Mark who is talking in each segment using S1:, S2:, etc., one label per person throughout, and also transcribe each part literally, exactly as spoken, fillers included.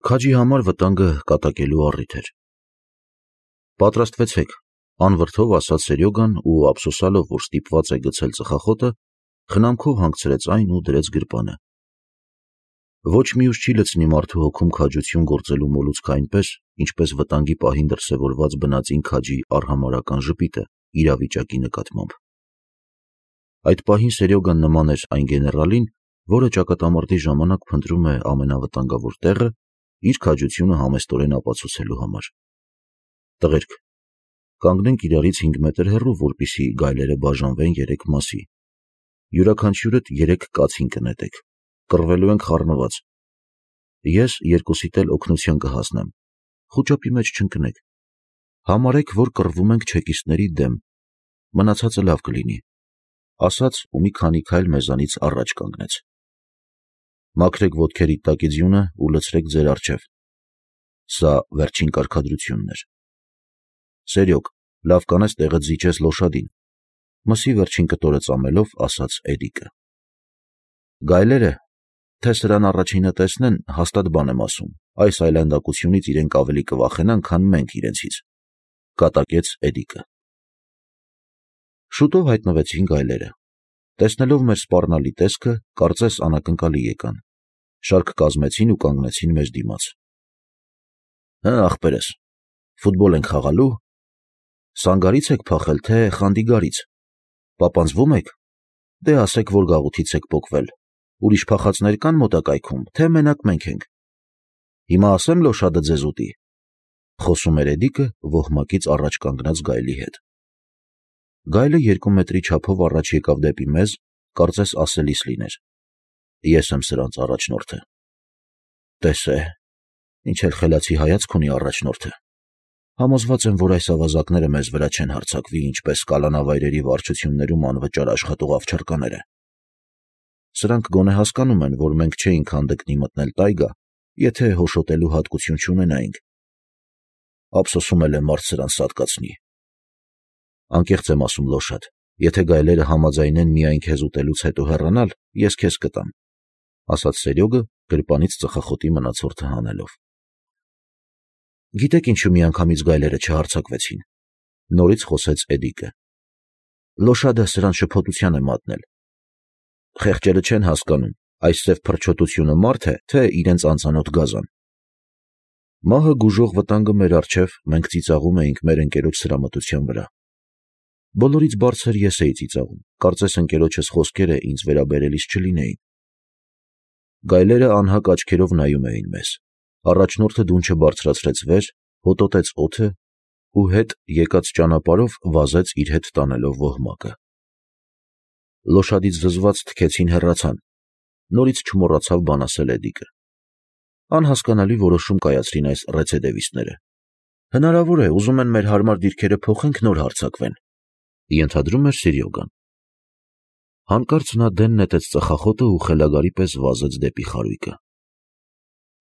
S1: Քաջի համար վտանգը կատակելու առիթ էր։ Պատրաստվեցեք, անվրդով ասաց Սերյոգան ու ափսոսալով, որ ստիպված է գցել ծխախոտը, խնամքով հանգցրեց այն ու դրեց գրպանը։ Ոչ մի ուժ չի լցնի մարդու հոգում քաջություն գործելու մոլուցքը այնպես, ինչպես վտանգի պահին դրսևորված բնածին քաջի արհամարհական ժպիտը իրավիճակի նկատմամբ։ Այդ պահին Սերյոգան նման էր այն գեներալին, որը ճակատամարտի ժամանակ փնտրում է ամենավտանգավոր տեղը իր քաջությունը համեստորեն ապացուցելու համար։ Տղերք, կանգնենք իրարից հինգ մետր հեռու, որպեսզի գայլերը բաժանվեն երեք մասի։ Յուրաքանչյուրդ երեք կացին կնետեք, կռվելու ենք խառնված։ Ես երկուսիդ էլ օգնության կհասնեմ, խուճապի մեջ չընկնեք։ Համարեք, որ կռվում ենք չեկիստների դեմ, մնացածը լավ կլինի, ասաց ու մի քանի քայլ մեզանից առաջ կանգնեց։ Մաքրեք ոտքերիդ տակի ձյունը ու լցրեք ձեր առջև։ Սա վերջին կարգադրությունն էր։ Սերյոգ, լավ կանես տեղը զիջես Լոշադին, մսի վերջին կտորը ծամելով ասաց Էդիկը։ Գայլերը, թե սրան առաջինը տեսնեն, հաստատ բան եմ ասում, այս այլանդակությունից իրենք ավելի կվախենան, քան մենք իրենցից, կատակեց Էդիկը։ Շուտով հայտնվեցին գայլերը։ Տեսնելով մեր սպառնալի տեսքը, կարծես անակնկալի եկան, շարք կազմեցին ու կանգնեցին մեզ դիմաց։ Հը, ախպերս, ֆուտբոլ ենք խաղալու, սանգարից եք փախել, թե խանդիգարից, պապանձվում եք, դե ասեք, որ գաղութից եք պոկվել, ուրիշ փախածներ կան մոտակայքում, թե մենակ մենք ենք։ Հիմա ասեմ Լոշադը ձեզ ուտի, խոսում էր Էդիկը ոհմակից առաջ կանգնած գայլի հետ։ Գայլը երկու մետրի չափով առաջ եկավ դեպի մեզ, կարծես ասելիս լիներ. Ես եմ սրանց առաջնորդը։ Տես է, ինչ էլ խելացի հայացք ունի առաջնորդը։ Համոզված եմ, որ այս ավազակները մեզ վրա չեն հարձակվի, ինչպես կալանավայրերի վարչություններում անվճար աշխատող ավչարկաները։ Սրանք գոնե հասկանում են, որ մենք չէինք հանդգնի մտնել տայգա, եթե հոշոտելու հատկություն չունենայինք։ Ափսոսում էլ է մարդ սրան սատկացնի։ Անկեղծ եմ ասում Լոշադ, եթե գայլերը համաձայնեն միայն քեզ ուտելուց հետո հեռանալ, ես քեզ կտամ, ասաց Սերյոգը գրպանից ծխախոտի մնացորդը հանելով։ Գիտեք ինչու միանգամից գայլերը չհարձակվեցին, նորից խոսեց Էդիկը։ Լոշադը սրան շփոթության է մատնել։ Խեղճերը չեն հասկանում, այս սև փրչոտությունը մարդ է, թե իրենց անծանոթ գազան։ Մահը գուժող վտանգը մեր առջև, մենք ծիծաղում էինք մեր ընկերոջ սրամտության վրա։ Բոլորից բարձր ես էի ծիծաղում, կարծես ընկերոջս խոսքերը ինձ վերաբերելիս չլինեին։ Գայլերը անհակ աչքերով նայում էին մեզ։ Առաջնորդը դունչը բարձրացրեց վեր, հոտոտեց օդը ու հետ եկած ճանապարհով վազեց իր հետ տանելով ոհմակը։ Լոշադից զզված թքեցին հեռացան, նորից չմոռացավ բան ասել Էդիկը։ Անհասկանալի որոշում կայացրին այս ռեցեդևիստները։ Հնարավոր է, ուզում են մեր հարմար դիրքերը փոխենք, նոր հարձակվեն, ենթադրում էր Սերյոգան։ Հանկարծ նա դեն նետեց ծխախոտը ու խելագարի պես վազեց դեպի խարույկը։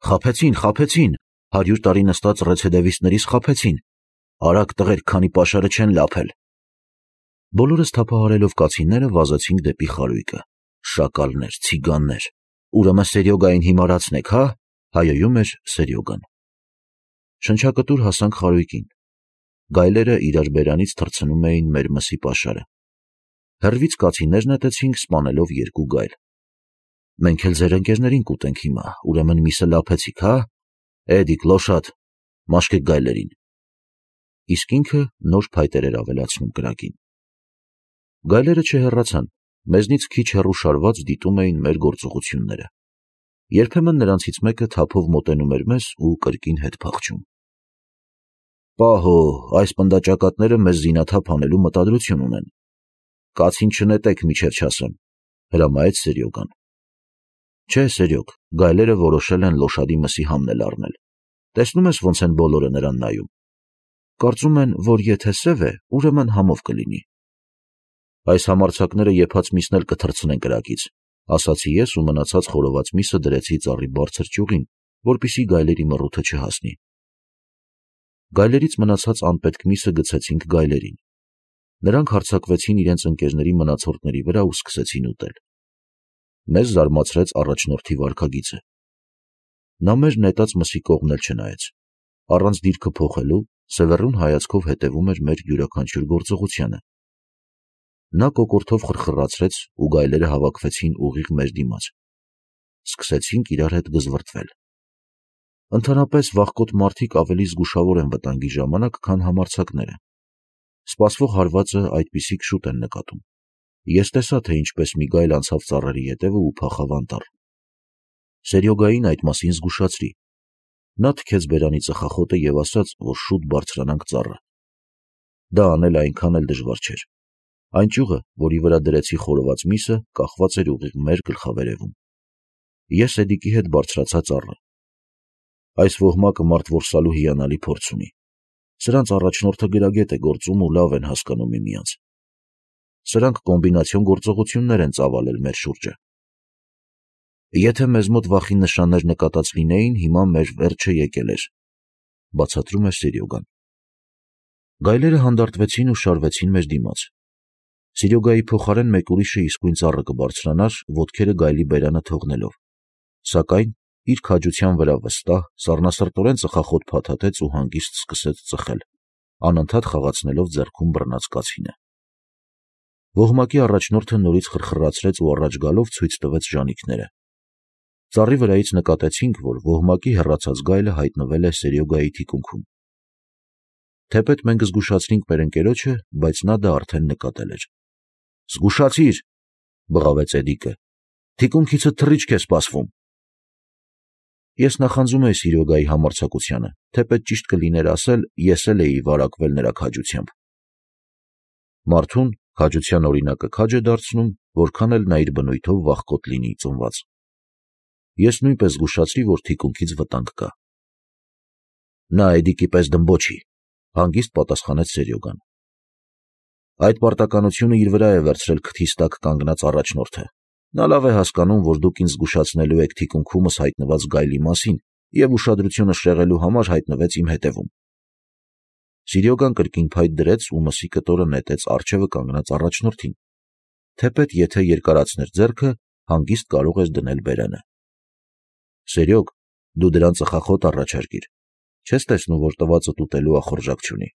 S1: Խաբեցին, խաբեցին, հարյուր տարի նստած ռեցեդևիստներից խաբեցին, արագ տղեր, քանի պաշարը չեն լափել։ Բոլորս թափահարելով կացինները վազեցինք դեպի խարույկը։ Շակալներ, ցիգաններ, ուրեմն Սերյոգային հիմարացնեք, հա, հայոյում էր Սերյոգան։ Շնչակտուր հասանք խարույկին։ Գայլերը իրար բերանից թռցնում էին մեր մսի պաշարը։ Հեռվից կացիններ նետեցինք, սպանելով երկու գայլ։ Մենք էլ ձեր ընկերներին կուտենք հիմա, ուրեմն միսը լափեցիք, հա։ Էդիկ, Լոշադ, մաշկեք գայլերին։ Իսկ ինքը նոր փայտեր էր ավելացնում կրակին։ Գայլերը չհեռացան, մեզնից քիչ հեռու շարված դիտում էին մեր գործողությունները։ Երբեմն նրանցից մեկը թափով մոտենում էր մեզ ու կրկին հետ փախչում։ Պահո, այս պնդաճակատները մեզ զինաթափ անելու մտադրություն ունեն։ Կացին չնետեք, միջև չասեմ, հրամայեց Սերյոգան։ Չէ, Սերյոգ, գայլերը որոշել են Լոշադի մսի համն էլ առնել։ Տեսնում ես ոնց են բոլորը նրան նայում։ Կարծում են, որ եթե սև է, ուրեմն համով կլինի։ Այս համարձակները եփած միսն էլ կթռցնեն կրակից, ասացի ես ու մնացած խորոված միսը դրեցի ծառի բարձր ճյուղին, որպեսզի գայլերի մռութը չհասնի։ Գայլերից մնացած անպետք միսը գցեցինք գայլերին։ Նրանք հարձակվեցին իրենց ընկերների մնացորդների վրա ու սկսեցին ուտել։ Մեզ զարմացրեց առաջնորդի վարքագիծը։ Նա մեր նետած մսի կողմն էլ չնայեց, առանց դիրքը փոխելու սևեռուն հայացքով հետևում էր մեր յուրաքանչյուր գործողությանը։ Նա կոկորդով խրխրացրեց ու գայլերը հավաքվեցին ուղիղ մեր դիմաց։ Սկսեցինք իրար հետ գզվրտվել։ Ընդհանրապես վախկոտ մարդիկ ավելի զգուշավոր են վտանգի ժամանակ, քան համարձակները։ Սպասվող հարվածը այդպիսիք շուտ են նկատում։ Ես տեսա, թե ինչպես մի գայլ անցավ ծառերի ետևը ու փախավ անտառ։ Սերյոգային այդ մասին զգուշացրի։ Նա թքեց բերանի ծխախոտը և ասաց, որ շուտ բարձրանանք ծառը։ Դա անել այնքան էլ դժվար չէր։ Այն ճյուղը, որի վրա դրեցի խորոված միսը, կախված էր ուղիղ մեր գլխավերևում։ Ես Էդիկի հետ բարձրացա ծառը։ Այս ոհմակը մարդ որսալու հիանալի փորձ ունի։ Սրանց առաջնորդը գրագետ է գործում ու լավ են հասկանում միմյանց։ Սրանք կոմբինացիոն գործողություններ են ծավալել մեր շուրջը։ Եթե մեզ մոտ վախի նշաններ նկատած լինեին, հիմա մեր վերջը եկել էր, բացատրում է Սերյոգան։ Գայլերը հանդարտվեցին ու շարվեցին մեր դիմաց։ Սերյոգայի փոխարեն մեկ ուրիշը իսկույն ծառը կբարձրանար, ոտքերը գայլի բերանը թողնելով։ Սակայն իր քաջության վրա վստահ, սառնասրտորեն ծխախոտ փաթաթեց ու հանգիստ սկսեց ծխել, անընդհատ խաղացնելով ձեռքում բռնած կացինը։ Ոհմակի առաջնորդը նորից խրխրացրեց ու առաջ գալով ցույց տվեց ժանիքները։ Ծառի վրայից նկատեցինք, որ ոհմակի հեռացած գայլը հայտնվել է Սերյոգայի թիկունքում։ Թեպետ մենք զգուշացրինք մեր ընկերոջը, բայց նա դա արդեն նկատել էր։ «Զգուշացիր», բղավեց Էդիկը, «թիկունքիցդ թռիչք է սպասվում»։ Ես նախանձում էի Սերյոգայի համարձակությանը, թեպետ ճիշտ կլիներ ասել, ես էլ էի վարակվել նրա քաջությամբ։ Մարդուն քաջության օրինակը քաջ է դարձնում, որքան էլ նա իր բնույթով վախկոտ լինի ծնված։ Ես նույնպես զգուշացրի, որ թիկունքից վտանգ կա։ Նա Էդիկի պես դմբոչի, հանգիստ պատասխանեց Սերյոգան։ Այդ պարտականությունը իր վրա է վերցրել քթիս տակ կանգնած առաջնորդը։ Նա լավ է հասկանում, որ դուք ինձ զգուշացնելու եք թիկունքումս հայտնված գայլի մասին և ուշադրությունը շեղելու համար հայտնվեց իմ հետևում։ Սերյոգան կրկին փայտ դրեց ու մսի կտորը նետեց առջևը կանգնած առաջնորդին։ Թեպետ եթե երկարացներ ձեռքը, հանգիստ կարող ես դնել բերանը։ Սերյոգ, դու դրան ծխախոտ առաջարկիր։ Չես տեսնում, որ տվածդ ուտելու ախորժակ չունի։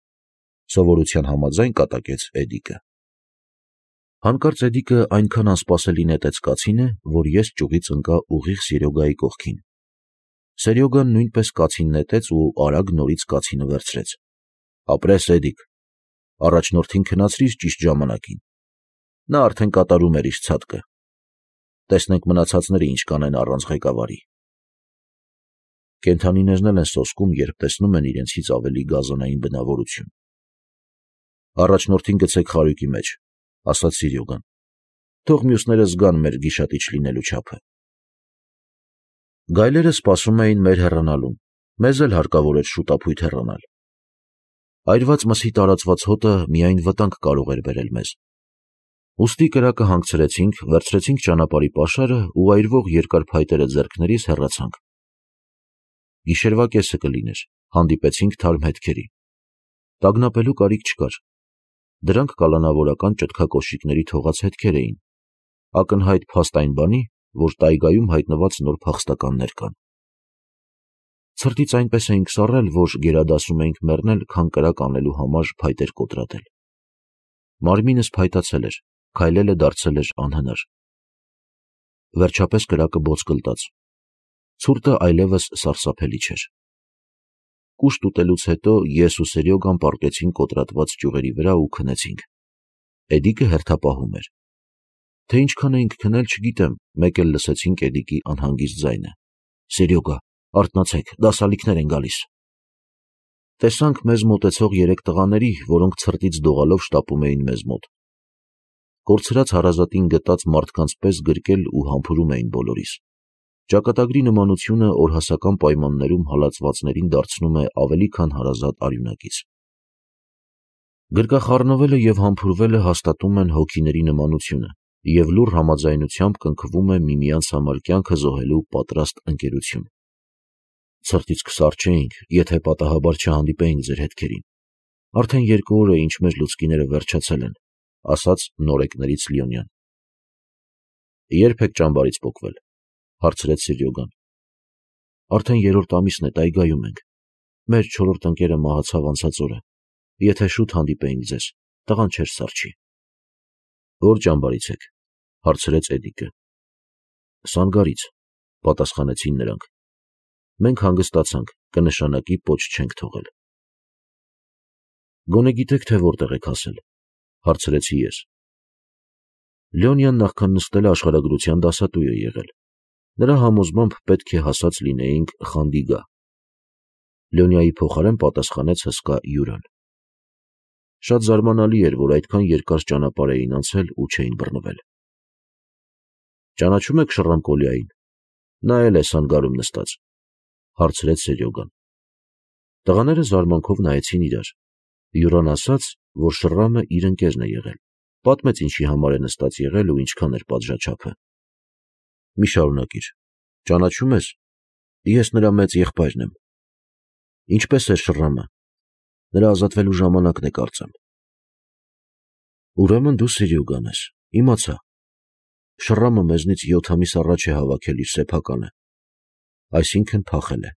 S1: Սովորության համաձայն կատակեց Էդիկը։ Հանկարծ Էդիկը այնքան անսպասելի նետեց կացինը, որ ես ճյուղից ընկա ուղիղ Սերյոգայի կողքին։ Սերյոգան նույնպես կացին նետեց ու արագ նորից կացինը վերցրեց։ Ապրես, Էդիկ, առաջնորդին քնացրիր ճիշտ ժամանակին։ Նա արդեն կատարում էր իր ցատկը։ Տեսնենք մնացածները ինչ կանեն առանց ղեկավարի։ Կենդանիներն էլ են սոսկում, երբ տեսնում են իրենցից ավելի գազանային բնավորություն։ Առաջնորդին գցեք խարույկի մեջ, ասաց Սերյոգան։ Թող մյուսները զգան մեր գիշատիչ լինելու չափը։ Գայլերը սպասում էին մեր հեռանալուն, մեզ էլ հարկավոր էր շուտափույթ հեռանալ։ Այրված մսի տարածված հոտը միայն վտանգ կարող էր բերել մեզ։ Ուստի կրակը հանգցրեցինք, վերցրեցինք ճանապարհի պաշարը ու այրվող երկար փայտերը ձեռքներիս հեռացանք։ Գիշերվա կեսը կլիներ, հանդիպեցինք թարմ հետքերի։ Տագնապելու կարիք չկար։ Դրանք կալանավորական ճտկակոշիկների թողած հետքեր էին, ակնհայտ փաստ այն բանի, որ տայգայում հայտնված նոր փախստականներ կան։ Ցրտից այնպես էինք սառել, որ գերադասում էինք մեռնել, քան կրակ անելու համար փայտեր կոտրատել։ Մարմինս փայտացել էր, քայլելը դարձել էր անհնար։ Վերջապես կրակը բոց կլտաց։ Ցուրտը այլևս սարսափելի չէր։ Կուշտ ուտելուց հետո ես ու Սերյոգան պառկեցինք կոտրատված ճյուղերի վրա ու քնեցինք։ Էդիկը հերթապահում էր։ Թե ինչքան էինք քնել, չգիտեմ, մեկ էլ լսեցինք Էդիկի անհանգիստ ձայնը. «Սերյոգա, արթնացեք, դասալիքներ են գալիս»։ Տեսանք մեզ մոտեցող երեք տղաների, որոնք ցրտից դողալով շտապում էին մեզ մոտ։ Կորցրած հարազատին գտած մարդկանց պես գրկել ու համբուրում էին բոլորիս։ Ճակատագրի նմանությունը օրհասական պայմաններում հալածվածներին դարձնում է ավելի քան հարազատ արյունակից։ Գրկախառնվելը և համբուրվելը հաստատում են հոգիների նմանությունը և լուռ համաձայնությամբ կնքվում է միմյանց համար կյանքը զոհելու պատրաստ ընկերություն։ Ցրտից կսառչեինք, եթե պատահաբար չհանդիպեինք ձեր հետքերին։ Արդեն երկու օր է, ինչ մեր լուցկիները վերջացել են, ասաց նորեկներից Լիոնյան։ Ե՞րբ եք ճամբարից պոկվել, հարցրեց Սերյոգան։ Արդեն երրորդ ամիսն է տայգայում ենք։ Մեր չորրորդ ընկերը մահացավ անցած օրը։ Եթե շուտ հանդիպեինք ձեզ, տղան չէր սառչի։ Ո՞ր ճամբարից եք, հարցրեց Էդիկը։ Սանգարից, պատասխանեցին նրանք։ Մենք հանգստացանք, կնշանակի պոչ չենք թողել։ Գոնե գիտեք, թե որտեղ եք հասել, հարցրեցի ես։ Լեոնյան նախքան նստելը աշխարհագրության դասատու է եղել։ Նրա համոզմամբ պետք է հասած լինեինք Խանդիգա։ Լեոնիայի փոխարեն պատասխանեց հսկա Յուրան։ Շատ զարմանալի էր, որ այդքան երկար ճանապարհ էին անցել ու չէին բռնվել։ Ճանաչում եք Շռամկոլիային։ Նա էլ է Սանգարում նստած, հարցրեց Սերյոգան։ Տղաները զարմանքով նայեցին իրար։ Յուրան ասաց, որ Շռամը իր ընկերն է եղել, պատմեց ինչի համար է նստած եղել ու ինչքան էր պատժաչափը։ Մի շարունակիր, ճանաչում ես, ես նրա մեծ եղբայրն եմ։ Ինչպես է Շռամը, նրա ազատվելու ժամանակն է կարծեմ։ Ուրեմն դու Սերյոգան ես, իմացա։ Շռամը մեզնից յոթ ամիս առաջ է հավաքել իր սեփականը, այսինքն փախել է։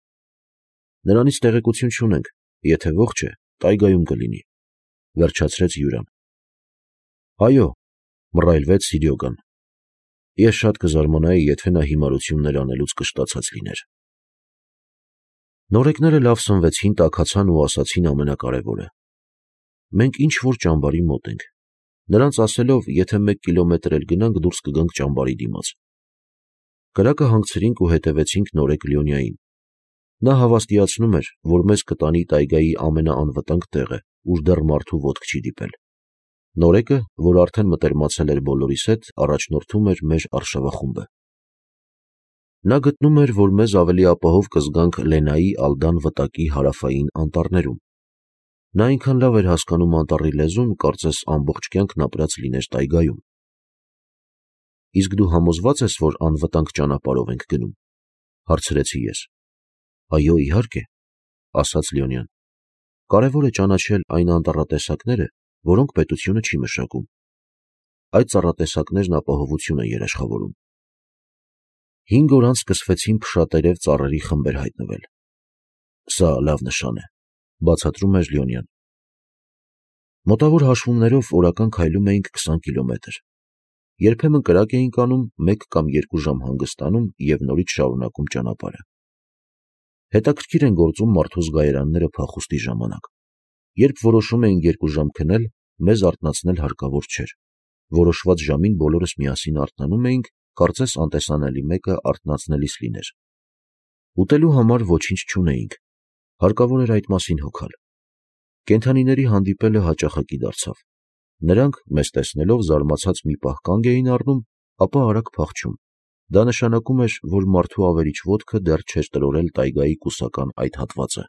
S1: Նրանից տեղեկություն չունենք, եթե ողջ է, տայգայում կլինի, վերջացրեց Յուրան։ Այո, մռայլվեց Սերյոգան։ Ես շատ կզարմանայի, եթե նա հիմարություններ անելուց կշտացած լիներ։ Նորեկները լավ սնվեցին, տաքացան ու ասացին ամենակարևորը։ Մենք ինչ որ ճամբարի մոտ ենք։ Նրանց ասելով, եթե մեկ կիլոմետր էլ գնանք, դուրս կգանք ճամբարի դիմաց։ Կրակը հանգցրինք ու հետևեցինք նորեկ Լեոնիային։ Նա հավաստիացնում էր, որ մեզ կտանի տայգայի ամենաանվտանգ տեղը, ուր դեռ մարդու ոտք չի դիպել։ Նորեկը, որ արդեն մտերմացել էր բոլորիս հետ, առաջնորդում էր մեր արշավախումբը։ Նա գտնում էր, որ մեզ ավելի ապահով կզգանք Լենայի Ալդան վտակի հարավային անտառներում։ Նա այնքան լավ էր հասկանում անտառի լեզուն, կարծես ամբողջ կյանքն ապրած լիներ տայգայում։ Իսկ դու համոզված ես, որ անվտանգ ճանապարհով ենք գնում, հարցրեցի ես։ Այո, իհարկե, ասաց Լեոնյան։ Կարևոր է ճանաչել այն անտառատեսակները, որոնք պետությունը չի մշակում։ Այդ ծառատեսակներն ապահովություն են երաշխավորում։ Հինգ օր անց սկսվեցին փշատերև ծառերի խմբեր հայտնվել։ Սա լավ նշան է, բացատրում էր Լեոնյան։ Մոտավոր հաշվումներով օրական քայլում էինք քսան կիլոմետր։ Երբեմն կրակ էինք անում, մեկ կամ երկու ժամ հանգստանում և նորից շարունակում ճանապարհը։ Հետաքրքիր են գործում մարդու զգայարանները փախուստի ժամանակ։ Երբ որոշում էինք երկու ժամ քնել, մեզ արթնացնել հարկավոր չէր։ Որոշված ժամին բոլորս միասին արթնանում էինք, կարծես անտեսանելի մեկը արթնացնելիս լիներ։ Ուտելու համար ոչինչ չունեինք, հարկավոր էր այդ մասին հոգալ։ Կենդանիների հանդիպելը հաճախակի դարձավ։ Նրանք, մեզ տեսնելով, զարմացած մի պահ կանգ էին առնում, ապա արագ փախչում։ Դա նշանակում էր, որ մարդու ավերիչ ոտքը դեռ չէր տրորել տայգայի կուսական այդ հատվածը։